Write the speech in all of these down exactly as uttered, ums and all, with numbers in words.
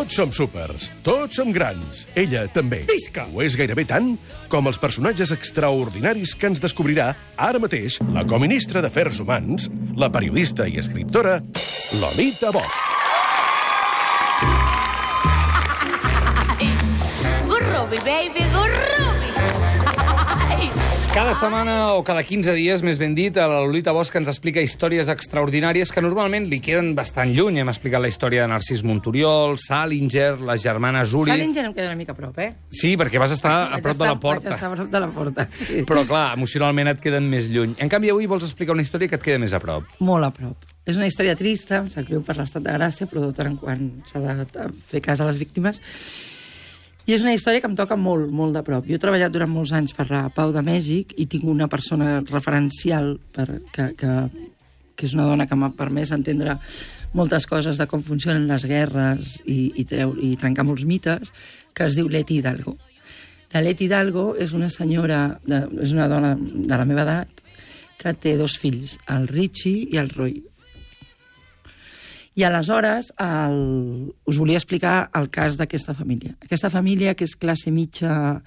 Tots som súpers, tots som grans. Ella també. Visca! Ho és gairebé tant com els personatges extraordinaris que ens descobrirà ara mateix la coministra d'Afers Humans, la periodista i escriptora Lolita Bosch. Gurrubi, baby, gurrubi! Cada setmana o cada quinze dies, més ben dit, la Lolita Bosch ens explica històries extraordinàries que normalment li queden bastant lluny. Hem explicat la història de Narcís Monturiol, Salinger, les germanes Uriz... Salinger em queda una mica a prop, eh? Sí, perquè vas estar a prop de la porta. Vaig estar a prop de la porta, sí. Però, clar, emocionalment et queden més lluny. En canvi, avui vols explicar una història que et queda més a prop. Molt a prop. És una història trista, em sap greu per l'estat de gràcia, però de tant en quant s'ha de fer cas a les víctimes. I és una història que em toca molt, molt de prop. Jo he treballat durant molts anys per la Pau de Mèxic i tinc una persona referencial per, que, que, que és una dona que m'ha permès entendre moltes coses de com funcionen les guerres i, i, treu, i trencar molts mites, que es diu Leti Hidalgo. La Leti Hidalgo és una senyora, de, és una dona de la meva edat que té dos fills, el Richie i el Roy. I aleshores el... us volia explicar el cas d'aquesta família. Aquesta família, que és classe mitja,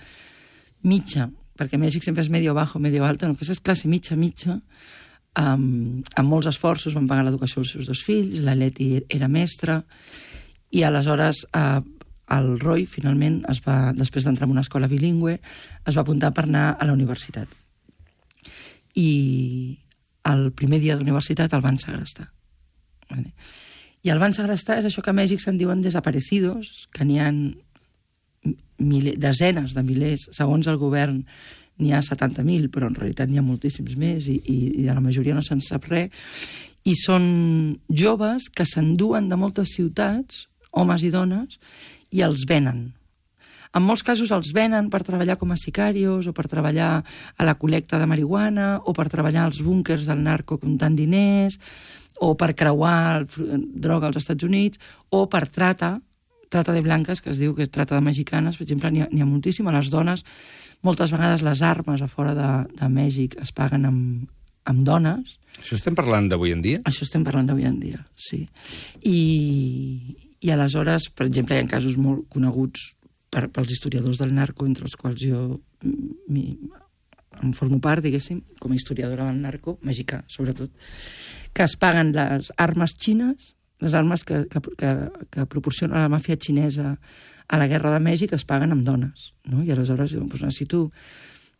mitja, perquè Mèxic sempre és medio bajo, medio alta, no, aquesta és classe mitja, mitja, amb, amb molts esforços van pagar l'educació dels seus dos fills, la Leti era mestra, i aleshores eh, el Roy, finalment, es va, després d'entrar en una escola bilingüe, es va apuntar per anar a la universitat. I el primer dia d'universitat el van segrestar. Vale. I el van segrestar és això que a Mèxic se'n diuen desaparecidos, que n'hi ha mil, desenes de milers, segons el govern n'hi ha setanta mil, però en realitat n'hi ha moltíssims més i, i, i de la majoria no se'n sap res, i són joves que s'enduen de moltes ciutats, homes i dones, i els venen. En molts casos els venen per treballar com a sicarios o per treballar a la col·lecta de marihuana o per treballar als búnkers del narco comptant diners o per creuar droga als Estats Units, o per trata, trata de blanques, que es diu que és trata de mexicanes, per exemple, n'hi ha, n'hi ha moltíssim. A les dones, moltes vegades les armes a fora de, de Mèxic es paguen amb, amb dones. Això estem parlant d'avui en dia? Això estem parlant d'avui en dia, sí. I, i aleshores, per exemple, hi ha casos molt coneguts per, pels historiadors del narco, entre els quals jo mi, em formo part, diguéssim, com a historiadora del narco, mexicà, sobretot, que es paguen les armes xines, les armes que, que, que, que proporciona la màfia xinesa a la guerra de Mèxic, es paguen amb dones, no? I aleshores diuen, doncs necessito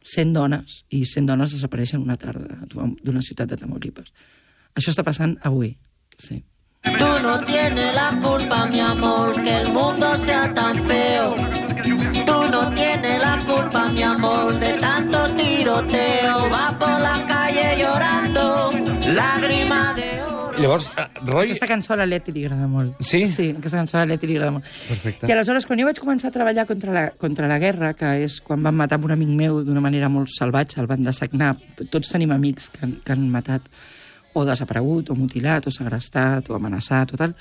cent dones, i cent dones desapareixen una tarda d'una ciutat de Tamaulipas. Això està passant avui, sí. Tú no tienes la culpa, mi amor, que el mundo sea tan feo. Tú no tienes la culpa, mi amor, de tanto tiroteo. Va por la calle llorando, lágrima de oro. Llavors, uh, Roy... Aquesta cançó a la Leti li agrada molt. Sí? Sí, aquesta cançó a la Leti li agrada molt. Perfecte. I aleshores, quan jo vaig començar a treballar contra la, contra la guerra, que és quan van matar un amic meu d'una manera molt salvatge, el van dessagnar, tots tenim amics que han, que han matat o desaparegut, o mutilat, o segrestat, o amenaçat, o tal.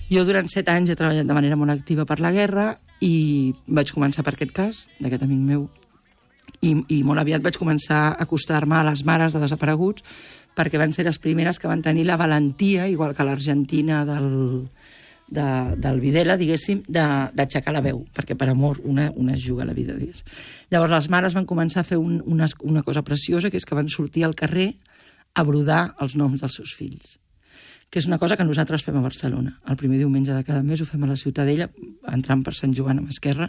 Jo durant set anys he treballat de manera molt activa per la guerra i vaig començar per aquest cas, d'aquest amic meu, i, i molt aviat vaig començar a acostar-me a les mares de desapareguts perquè van ser les primeres que van tenir la valentia, igual que l'Argentina del, de, del Videla, diguéssim, d'aixecar la veu, perquè per amor una, una es juga la vida, diguéssim. Llavors les mares van començar a fer un, una, una cosa preciosa, que és que van sortir al carrer a brodar els noms dels seus fills, que és una cosa que nosaltres fem a Barcelona. El primer diumenge de cada mes ho fem a la Ciutadella, entrant per Sant Joan amb Esquerra,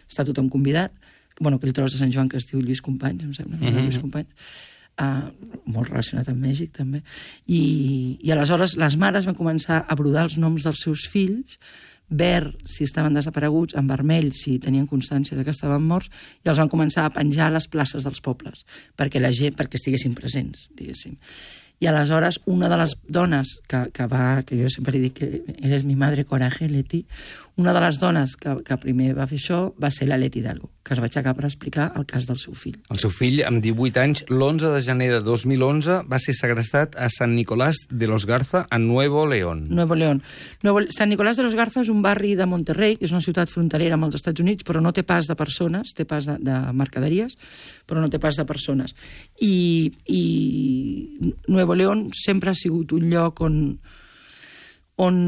està tothom convidat. Bueno, aquell tros de Sant Joan que es diu Lluís Companys, em sembla, no? Mm-hmm. Lluís Companys. Uh, molt relacionat amb Mèxic, també. I, I aleshores les mares van començar a brodar els noms dels seus fills, verd si estaven desapareguts, en vermell si tenien constància de que estaven morts, i els van començar a penjar a les places dels pobles, perquè la gent, perquè estiguessin presents, diguéssim. I aleshores una de les dones que, que va, que jo sempre li dic que eres mi madre coraje, Leti, una de les dones que, que primer va fer això va ser la Leti Hidalgo, que es va aixecar per explicar el cas del seu fill. El seu fill, amb divuit anys, l'onze de gener de dos mil onze, va ser segrestat a San Nicolás de los Garza, a Nuevo León. Nuevo León. Nuevo... San Nicolás de los Garza és un barri de Monterrey, que és una ciutat fronterera amb els Estats Units, però no té pas de persones, té pas de, de mercaderies, però no té pas de persones. I, i Nuevo León sempre ha sigut un lloc on, on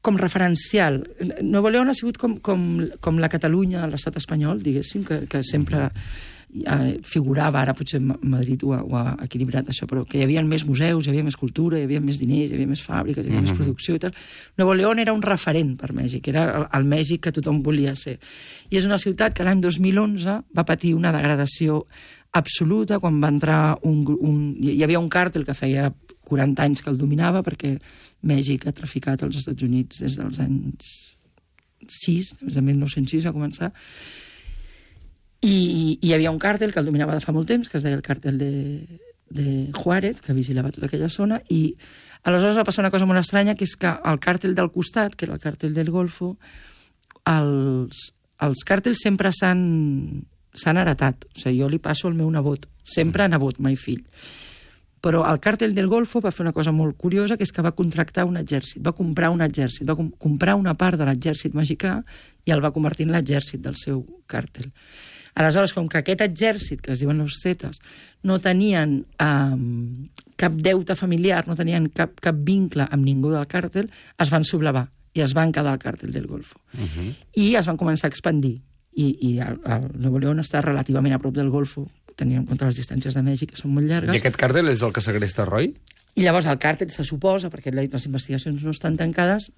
com referencial. Nuevo León ha sigut com, com, com la Catalunya a l'estat espanyol, diguéssim, que, que sempre eh, figurava, ara potser Madrid ho ha, ho ha equilibrat això, però que hi havia més museus, hi havia més cultura, hi havia més diners, hi havia més fàbriques, hi havia mm-hmm. més producció i tal. Nuevo León era un referent per Mèxic, era el, el Mèxic que tothom volia ser. I és una ciutat que l'any dos mil onze va patir una degradació absoluta quan va entrar un, un... Hi havia un càrtel que feia quaranta anys que el dominava, perquè Mèxic ha traficat als Estats Units des dels anys sis, des de mil nou-cents sis va començar, i, i hi havia un càrtel que el dominava de fa molt temps, que es deia el càrtel de, de Juárez, que vigilava tota aquella zona, i aleshores va passar una cosa molt estranya, que és que el càrtel del costat, que era el càrtel del Golfo, els, els càrtels sempre s'han s'han heretat. O sigui, jo li passo al meu nebot, sempre nebot, mai fill. Però el càrtel del Golfo va fer una cosa molt curiosa, que és que va contractar un exèrcit, va comprar un exèrcit, va com comprar una part de l'exèrcit mexicà i el va convertir en l'exèrcit del seu càrtel. Aleshores, com que aquest exèrcit, que es diuen los Zetas, no tenien eh, cap deute familiar, no tenien cap, cap vincle amb ningú del càrtel, es van sublevar i es van quedar al càrtel del Golfo. Uh-huh. I es van començar a expandir. I, i el, el Nuevo León està relativament a prop del Golfo, tenint en compte les distàncies de Mèxic, que són molt llargues. I aquest càrtel és el que segresta Roy? I llavors el càrtel se suposa, perquè les investigacions no estan tancades,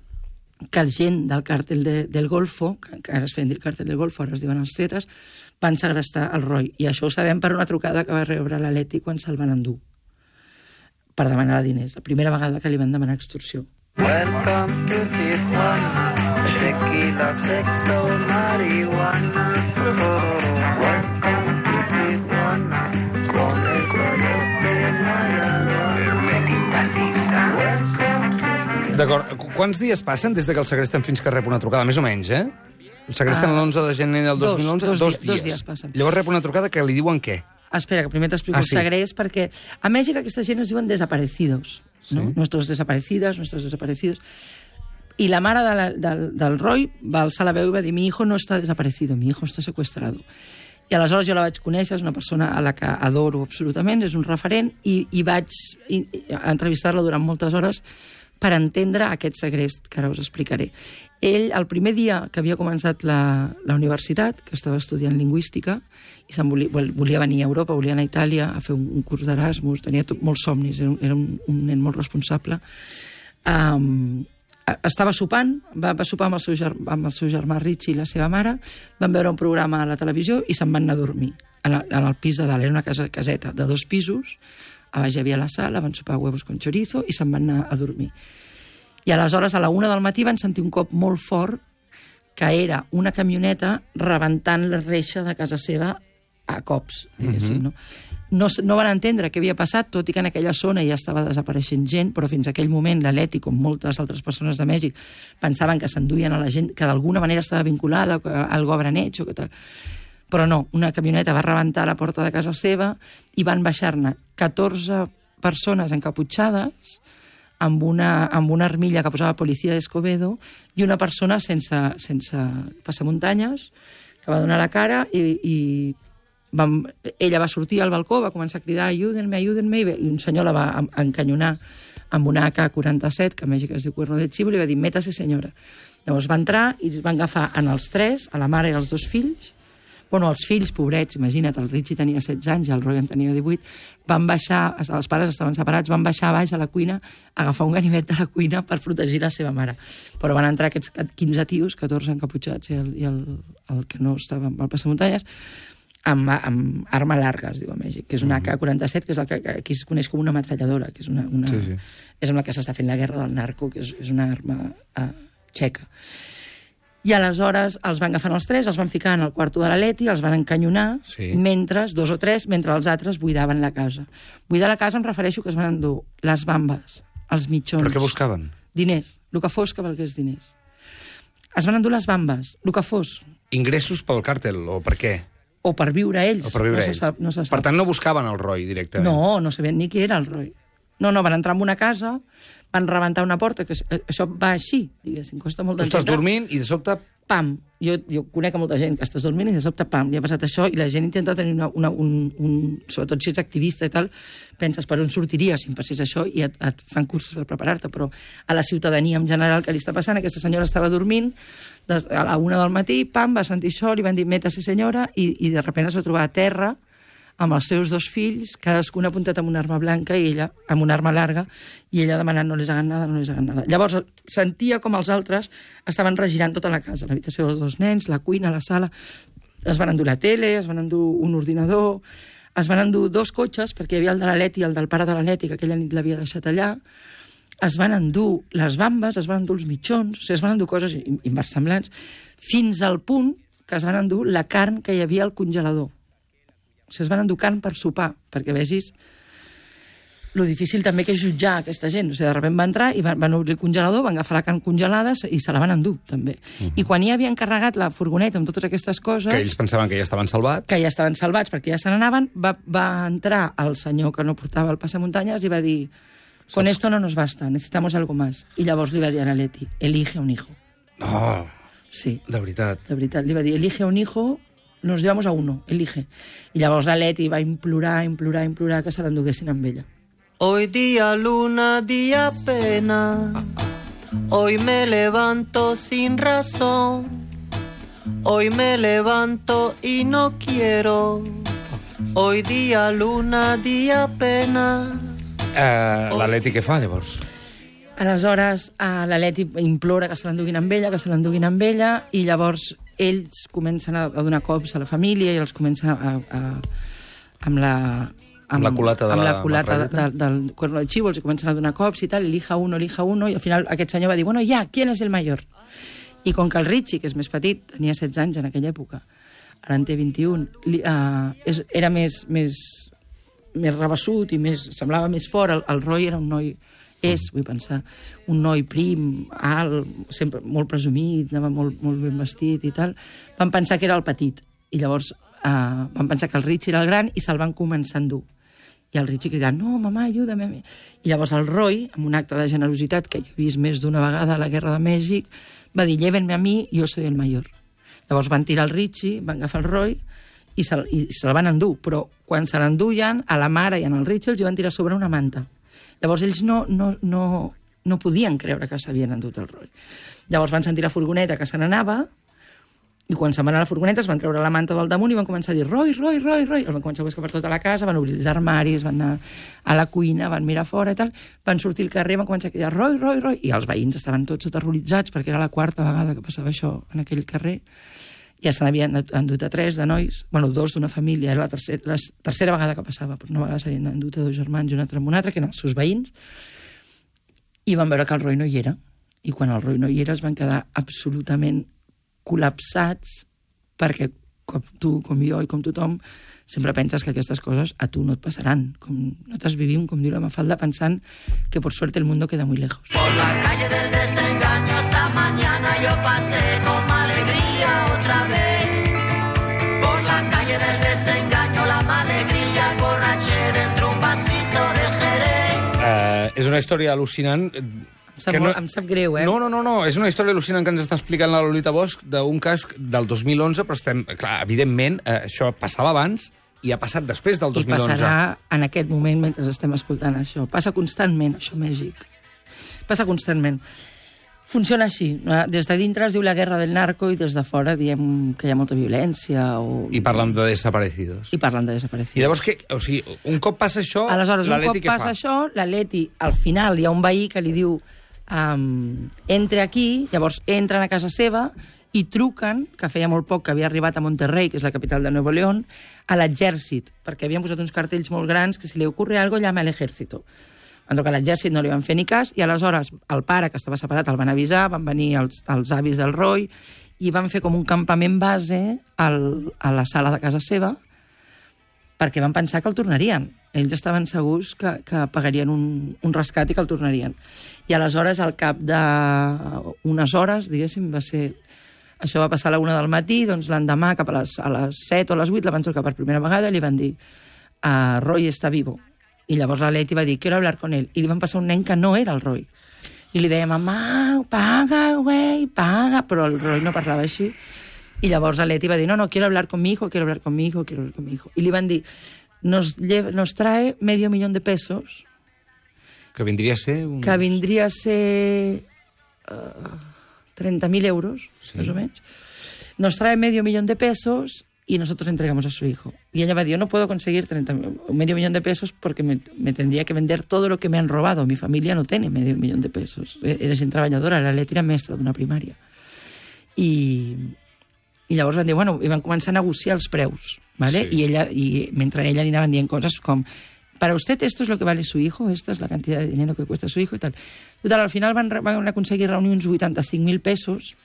que el gent del càrtel de, del Golfo, que ara es feien dir el càrtel del Golfo, ara es diuen els Zetas, van segrestar el Roy. I això ho sabem per una trucada que va rebre l'Aleti quan se'l van endur, per demanar diners. La primera vegada que li van demanar extorsió. Welcome to Tijuana, tequila, sexo, marihuana. Welcome to Tijuana, con el coyote Maradona. D'acord. Quants dies passen des de que el segresten fins que rep una trucada? Més o menys, eh? El segresten uh, l'onze de gener del dos mil onze? Dos, dos, dos dies. Dos dies passen. Llavors rep una trucada que li diuen què? Espera, que primer t'explico ah, el sí. segrest, perquè a Mèxic aquesta gent es diuen desaparecidos. ¿no? Sí. Nuestros desaparecidas, nuestros desaparecidos. Y la mare de la, del, del Roy va alçar la veu i va dir: mi hijo no està desaparecido, mi hijo està secuestrado. I aleshores jo la vaig conèixer, és una persona a la que adoro absolutament, és un referent, i, i vaig i, entrevistar-la durant moltes hores per entendre aquest segrest que ara us explicaré. Ell, el primer dia que havia començat la, la universitat, que estava estudiant lingüística, i se'n volia, volia venir a Europa, volia anar a Itàlia a fer un, un curs d'Erasmus, tenia tot, molts somnis, era un, era un, un nen molt responsable. Um, estava sopant, va, va sopar amb el, seu germà, amb el seu germà Richie i la seva mare, van veure un programa a la televisió i se'n van anar a dormir en el, en el pis de dalt. Era una casa, caseta de dos pisos, a baix hi havia la sala, van sopar huevos con chorizo i se'n van anar a dormir. I aleshores a la una del matí van sentir un cop molt fort, que era una camioneta rebentant la reixa de casa seva a cops, diguéssim, no? No, no van entendre què havia passat, tot i que en aquella zona ja estava desapareixent gent, però fins a aquell moment l'Aleti, com moltes altres persones de Mèxic, pensaven que s'enduien a la gent que d'alguna manera estava vinculada, que algo habran hecho, que tal. Però no, una camioneta va rebentar la porta de casa seva i van baixar-ne catorze persones encaputxades amb una, amb una armilla que posava policia d'Escobedo i una persona sense, sense passamuntanyes que va donar la cara i, i vam, ella va sortir al balcó, va començar a cridar ayúdenme, ayúdenme, i un senyor la va encanyonar amb una A K quaranta-set, que a Mèxic es diu cuerno de chivo, i li va dir: métase senyora. Llavors va entrar i es van agafar en els tres, a la mare i als dos fills. Bueno, els fills, pobrets, imagina't, el Richie tenia setze anys i el Roy en tenia divuit, van baixar, els pares estaven separats, van baixar a baix a la cuina, a agafar un ganivet de la cuina per protegir la seva mare. Però van entrar aquests quinze tios, catorze encaputxats i el, i el, el que no estava amb el passamuntanyes, amb, amb arma larga, es diu a Mèxic, que és una A K quaranta-set, que és el que aquí es coneix com una ametralladora, que és una... una sí, sí. És amb la que s'està fent la guerra del narco, que és, és una arma uh, txeca. I aleshores els van agafar els tres, els van ficar en el quarto de l'Aleti, els van encanyonar, sí. mentre, dos o tres, mentre els altres buidaven la casa. Buidar la casa em refereixo que es van endur les bambes, els mitjons... Però què buscaven? Diners, el que fos que valgués diners. Es van endur les bambes, el que fos. Ingressos pel càrtel, o per què? O per viure ells. O per viure no ells. Se sap, no se sap. Per tant, no buscaven el Roy directament? No, no sabien ni qui era el Roy. No, no, van entrar en una casa, van rebentar una porta, que això va així, diguéssim, costa molt d'entendre. Tu estàs dormint i de sobte pam, jo, jo conec a molta gent que estàs dormint i de sobte, pam, li ha passat això, i la gent intenta tenir una, una, un, un... Sobretot si ets activista i tal, penses per on sortiries si em passés això i et, et fan cursos per preparar-te, però a la ciutadania en general que li està passant, aquesta senyora estava dormint, des, a la una del matí, pam, va sentir això, li van dir, métase senyora, i, i de sobte es va trobar a terra amb els seus dos fills, cadascun apuntat amb una arma blanca i ella amb una arma larga, i ella demanant no les hagan nada, no les hagan nada. Llavors sentia com els altres estaven regirant tota la casa, l'habitació dels dos nens, la cuina, la sala, es van endur la tele, es van endur un ordinador, es van endur dos cotxes, perquè hi havia el de la Leti i el del pare de la Leti, que aquella nit l'havia deixat allà, es van endur les bambes, es van endur els mitjons, o sigui, es van endur coses inversemblants, fins al punt que es van endur la carn que hi havia al congelador. O sigui, es van endur carn per sopar, perquè vegis lo difícil també que és jutjar aquesta gent. O sigui, de sobte va entrar i van, van obrir el congelador, van agafar la carn congelada i se la van endur, també. Uh-huh. I quan ja havien carregat la furgoneta amb totes aquestes coses... Que ells pensaven que ja estaven salvats. Que ja estaven salvats perquè ja se n'anaven, va, va entrar el senyor que no portava el passamuntanyes i va dir, con esto no nos basta, necesitamos algo más. I llavors li va dir a la Leti, elige un hijo. No, sí, de veritat. De veritat, li va dir, elige un hijo... Nos llevamos a uno, elige. I llavors la Leti va implorar, implorar, implorar que se l'enduguessin amb ella. Hoy día luna, día pena. Hoy me levanto sin razón. Hoy me levanto y no quiero. Hoy día luna, día pena. Uh, la Leti què fa, llavors? Aleshores, uh, la Leti implora que se l'enduguin amb ella, que se l'enduguin amb ella, i llavors ells comencen a donar cops a la família i els comencen a... a, a amb la... Amb la culata de amb la la culata de, de, del cuerno de chivo, els comencen a donar cops i tal, elija uno, elija uno, i al final aquest senyor va dir, bueno, ja, ¿quién es el mayor? I com que el Richie, que és més petit, tenia setze anys en aquella època, ara en té vint-i-un, li, uh, és, era més, més, més rebassut i més, semblava més fort, el, el Roy era un noi... És, vull pensar, un noi prim, alt, sempre molt presumit, anava molt, molt ben vestit i tal. Van pensar que era el petit. I llavors eh, van pensar que el Richie era el gran i se'l van començar a endur. I el Richie cridant, no, mamà, ajuda'm. I llavors el Roy, amb un acte de generositat que jo he vist més d'una vegada a la Guerra de Mèxic, va dir, llévenme a mi, jo soy el mayor. Llavors van tirar el Richie, van agafar el Roy i se'l se van endur. Però quan se l'enduien, a la mare i al Richie els van tirar sobre una manta. Llavors ells no, no, no, no podien creure que s'havien endut el Roy. Llavors van sentir la furgoneta que se n'anava i quan se'n van a la furgoneta es van treure la manta del damunt i van començar a dir Roy, Roy, Roy, Roy. El van començar a buscar per tota la casa, van obrir els armaris, van anar a la cuina, van mirar fora i tal, van sortir al carrer, van començar a cridar Roy, Roy, Roy, i els veïns estaven tots aterroritzats perquè era la quarta vegada que passava això en aquell carrer. Ja se n'havien endut a tres de nois, bueno, dos d'una família, era la tercera, la tercera vegada que passava, però una vegada s'havien endut a dos germans i un altre amb un altre, que eren els seus veïns, i van veure que el Roy no hi era. I quan el Roy no hi era es van quedar absolutament col·lapsats, perquè com tu, com jo i com tothom, sempre penses que aquestes coses a tu no et passaran. Com nosaltres vivim, com diu la Mafalda, pensant que por suerte el mundo queda muy lejos. Por la calle del desengaño esta mañana yo pasé con alegría otra vez. Por la calle del desengaño la alegría borraché dentro un vasito de Jerez. Uh, és una història al·lucinant. Em sap, no... em sap greu, eh? No, no, no, no, és una història al·lucinant que ens està explicant la Lolita Bosch d'un cas del dos mil onze, però estem, clar, evidentment, eh, això passava abans i ha passat després del dos mil onze. I passarà en aquest moment mentre estem escoltant això. Passa constantment, això a Mèxic. Passa constantment. Funciona així. Des de dintre es diu la guerra del narco i des de fora diem que hi ha molta violència. O... I parlen de desaparecidos. I parlen de desaparecidos. I llavors, què? O sigui, un cop passa això, aleshores, la Leti què fa? Un cop passa això, la Leti, al final hi ha un veí que li diu um, entre aquí, llavors entren a casa seva i truquen, que feia molt poc que havia arribat a Monterrey, que és la capital de Nuevo León, a l'exèrcit, perquè havien posat uns cartells molt grans que si li ocorre algo llama a l'ejército. Van trucar a l'exèrcit, no li van fer ni cas, i aleshores el pare, que estava separat, el van avisar, van venir els, els avis del Roy, i van fer com un campament base al, a la sala de casa seva, perquè van pensar que el tornarien. Ells estaven segurs que, que pagarien un, un rescat i que el tornarien. I aleshores, al cap d'unes hores, diguéssim, va ser... Això va passar a la una del matí, doncs l'endemà, cap a les, a les set o a les vuit, la van trucar per primera vegada i li van dir uh, Roy està vivo. I llavors la Leti va dir, quiero hablar con él. I li van passar un nen que no era el Roy. I li deia, mamà, paga, güey, paga, però el Roy no parlava així. I llavors la Leti va dir, no, no, quiero hablar con mi hijo, quiero hablar con mi hijo, quiero hablar con mi hijo. I li van dir, nos, lleva, nos trae medio millón de pesos. Que vindria a ser... Un... Que vindria a ser uh, treinta mil euros, sí. Más o menos. Nos trae medio millón de pesos y nosotros entregamos a su hijo. Y ella va a decir, yo no puedo conseguir treinta, medio millón de pesos porque me, me tendría que vender todo lo que me han robado. Mi familia no tiene medio millón de pesos. Eres treballadora, la Leti era mestra d'una primària. I, i llavors van dir, bueno, i van començar a negociar els preus, ¿vale? Sí. I, ella, i mentre ella li anaven dient coses com, para usted esto es lo que vale su hijo, esta es la cantidad de dinero que cuesta su hijo y tal. Total, al final van, van aconseguir reunir uns vuitanta-cinc mil pesos,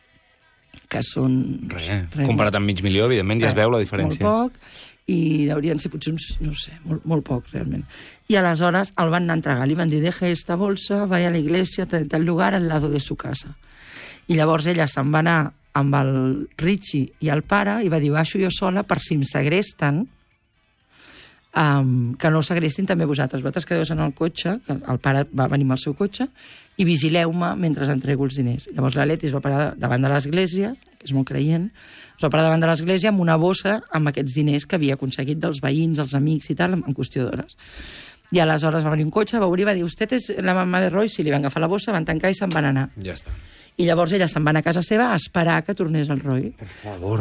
que són... Res, res, comparat amb mig milió, evidentment, ja es veu la diferència. Molt poc, i haurien ser potser uns, no sé, molt, molt poc, realment. I aleshores el van anar a entregar, li van dir, deje esta bolsa, vaya a la iglesia, tal, tal lugar, al lado de su casa. I llavors ella se'n va anar amb el Richie i el pare i va dir, baixo jo sola per si em segresten, um, que no segrestin també vosaltres. Vosaltres quedeu en el cotxe, que el pare va venir amb el seu cotxe, i vigileu-me mentre entrego els diners. Llavors la Leti es va parar davant de l'església, que és molt creient, es va parar davant de l'església amb una bossa amb aquests diners que havia aconseguit dels veïns, els amics i tal, en qüestió d'hores. I aleshores va venir un cotxe, va obrir i va dir, usted és la mamà de Roy? Sí, li van agafar la bossa, van tancar i se'n van anar. Ja està. I llavors ella se'n va anar a casa seva a esperar que tornés el Roy. Per favor.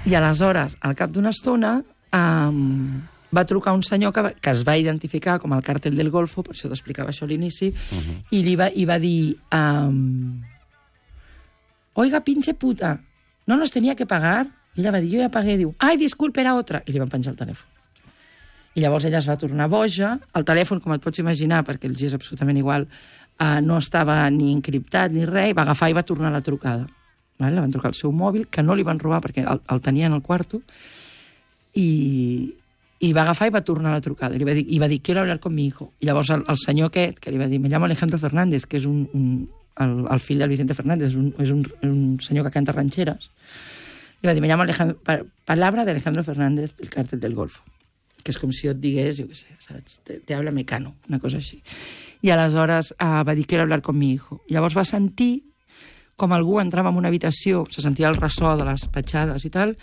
I aleshores, al cap d'una estona, um, va trucar un senyor que, va, que es va identificar com el càrtel del Golfo, per això t'explicava això a l'inici, uh-huh. i li va, i va dir, um, oiga, pinche puta, no nos tenía que pagar? I ella va dir, jo ja pagué, diu, ai, disculpe, era otra, i li van penjar el telèfon. I llavors ella es va tornar boja, el telèfon, com et pots imaginar, perquè els és absolutament igual, uh, no estava ni encriptat ni res, i va agafar i va tornar la trucada. Vale? La van trucar al seu mòbil, que no li van robar perquè el, el tenien al quarto, i... i va agafar i va tornar la trucada. I va dir, i va dir quiero hablar con mi hijo. I llavors el, el senyor aquest, que li va dir, me llamo Alejandro Fernández, que és un, un, el, el fill del Vicente Fernández, és un, és un, un senyor que canta rancheras, li va dir, me llamo Alejandro, pa, palabra de Alejandro Fernández, del càrtel del Golfo. Que és com si jo et digués, jo què sé, saps? Te, te habla Mecano, una cosa així. I aleshores uh, va dir, quiero hablar con mi hijo. I llavors va sentir com algú entrava en una habitació, se sentia el ressò de les petjades i tal,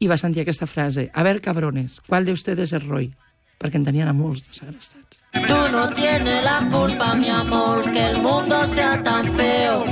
i va sentir aquesta frase, a ver, cabrones, ¿cuál de ustedes es Roy? Perquè en tenien a molts de segrestats. Tú no tienes la culpa, mi amor, que el mundo sea tan feo.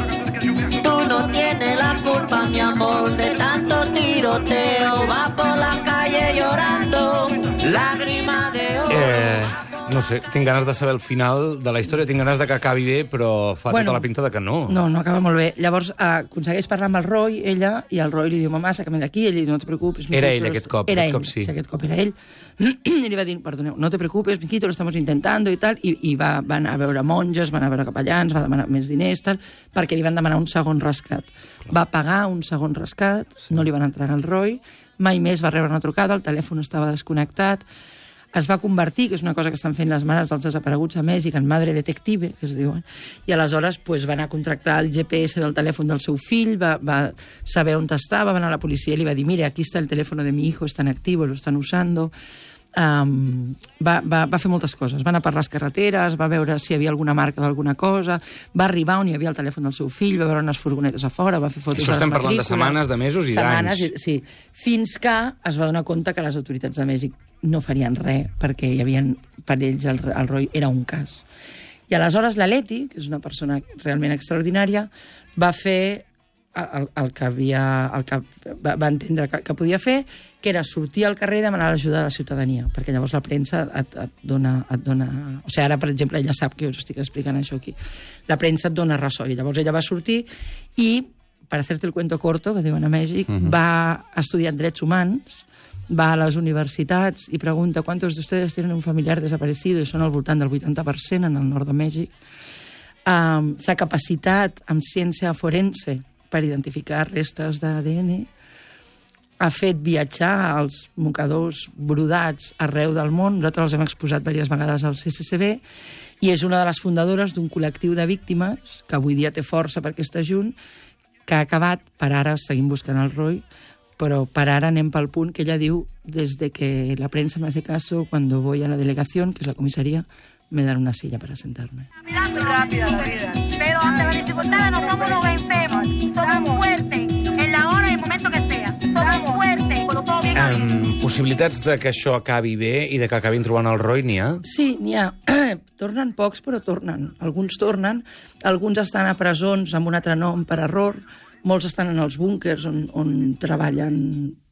Tú no tienes la culpa, mi amor, de tanto tiroteo. Va por la calle llorando, lágrima de oro. Eh, no sé, tinc ganes de saber el final de la història, tinc ganes de que acabi bé, però fa bueno, tota la pinta de que no. No, no acaba molt bé. Llavors eh, aconsegueix parlar amb el Roy, ella, i el Roy li diu, mamà, saca'm d'aquí, ell li diu, no te preocupes. Era ell aquest cop, era aquest ell, cop sí. sí. Aquest cop era ell. I li va dir, perdoneu, no te preocupes, miquito, lo estamos intentando i tal, i, i va, van a veure monges, van a veure capellans, va demanar més diners, tal, perquè li van demanar un segon rescat. Va pagar un segon rescat, sí. No li van entregar el Roy, mai més va rebre una trucada, el telèfon estava desconnectat, es va convertir, que és una cosa que estan fent les mares dels desapareguts a Mèxic, en madre detective, que es diuen, i aleshores pues, va anar a contractar el G P S del telèfon del seu fill, va, va saber on estava, va anar a la policia i li va dir, mire, aquí està el telèfon de mi hijo, está en activo, lo están usando. Um, va, va, va fer moltes coses, va anar per les carreteres, va veure si hi havia alguna marca d'alguna cosa, va arribar on hi havia el telèfon del seu fill, va veure unes furgonetes a fora, va fer fotos Això de les estem parlant de matrícules, setmanes, de mesos i setmanes, d'anys. Sí, fins que es va donar compte que les autoritats de Mèxic no farien res, perquè hi havia, per ells el, el Roy era un cas. I aleshores la Leti, que és una persona realment extraordinària, va fer el, el que havia, el que va, va entendre que, que podia fer, que era sortir al carrer i demanar l'ajuda de la ciutadania, perquè llavors la premsa et, et, dona, et dona... O sigui, ara, per exemple, ella sap que us estic explicant això aquí. La premsa et dona ressò, i llavors ella va sortir i, per hacerte el cuento corto, que diuen a Mèxic, uh-huh. va estudiar drets humans, va a les universitats i pregunta ¿cuántos de ustedes tienen un familiar desaparecido? I són al voltant del vuitanta per cent en el nord de Mèxic. Um, s'ha capacitat amb ciència forense per identificar restes d'A D N. Ha fet viatjar els mocadors brodats arreu del món. Nosaltres els hem exposat diverses vegades al C C C B i és una de les fundadores d'un col·lectiu de víctimes que avui dia té força perquè està junt, que ha acabat, per ara seguim buscant el Roy, pero para ahora anem pel punt que ella diu, desde que la prensa me hace caso, cuando voy a la delegación, que es la comisaría, me dan una silla para sentarme. Rápida la vida, pero possibilitats de que això acabi bé i de que acabin trobant el Roy n'hi ha? Sí, n'hi ha. Tornen pocs, però tornen. Alguns tornen, alguns estan a presons amb un altre nom per error, molts estan en els búnkers on, on treballen...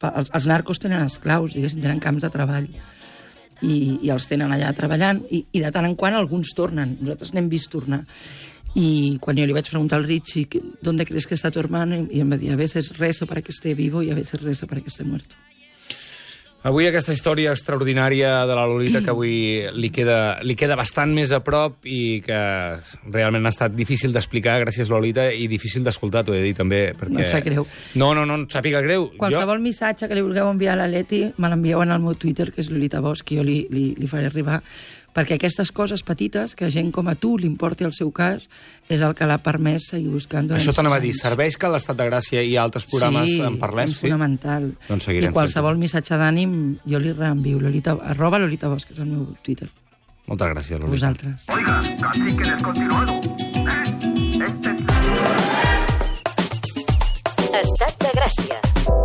Els, els narcos tenen esclaus, diguéssim, tenen camps de treball i, i els tenen allà treballant i, i de tant en quant alguns tornen. Nosaltres n'hem vist tornar. Y cuando yo le iba a preguntar al Richie, ¿dónde crees que está tu hermano? Y él me decía, a veces rezo para que esté vivo y a veces rezo para que esté muerto. Avui aquesta història extraordinària de la Lolita que avui li queda, li queda bastant més a prop i que realment ha estat difícil d'explicar, gràcies Lolita, i difícil d'escoltar, t'ho he de dir també. Perquè... No em sap greu. No, no, no, no sàpiga greu. Qualsevol jo... missatge que li vulgueu enviar a l'Aleti me l'envieu en el meu Twitter, que és Lolita Bosch, que jo li, li, li faré arribar, perquè aquestes coses petites, que a gent com a tu li importi el seu cas, és el que l'ha permès seguir buscant. Això t'anava a dir, serveix que a l'Estat de Gràcia i altres programes sí, en parlem? És sí, és fonamental. Doncs I qualsevol missatge d'ànim jo li reenvio, Lolita, arroba Lolita Bosch, que és el meu Twitter. Moltes gràcies, Lolita. Vosaltres. Oiga, casi que descontinuado. ¿Eh? Este... Estat de Gràcia.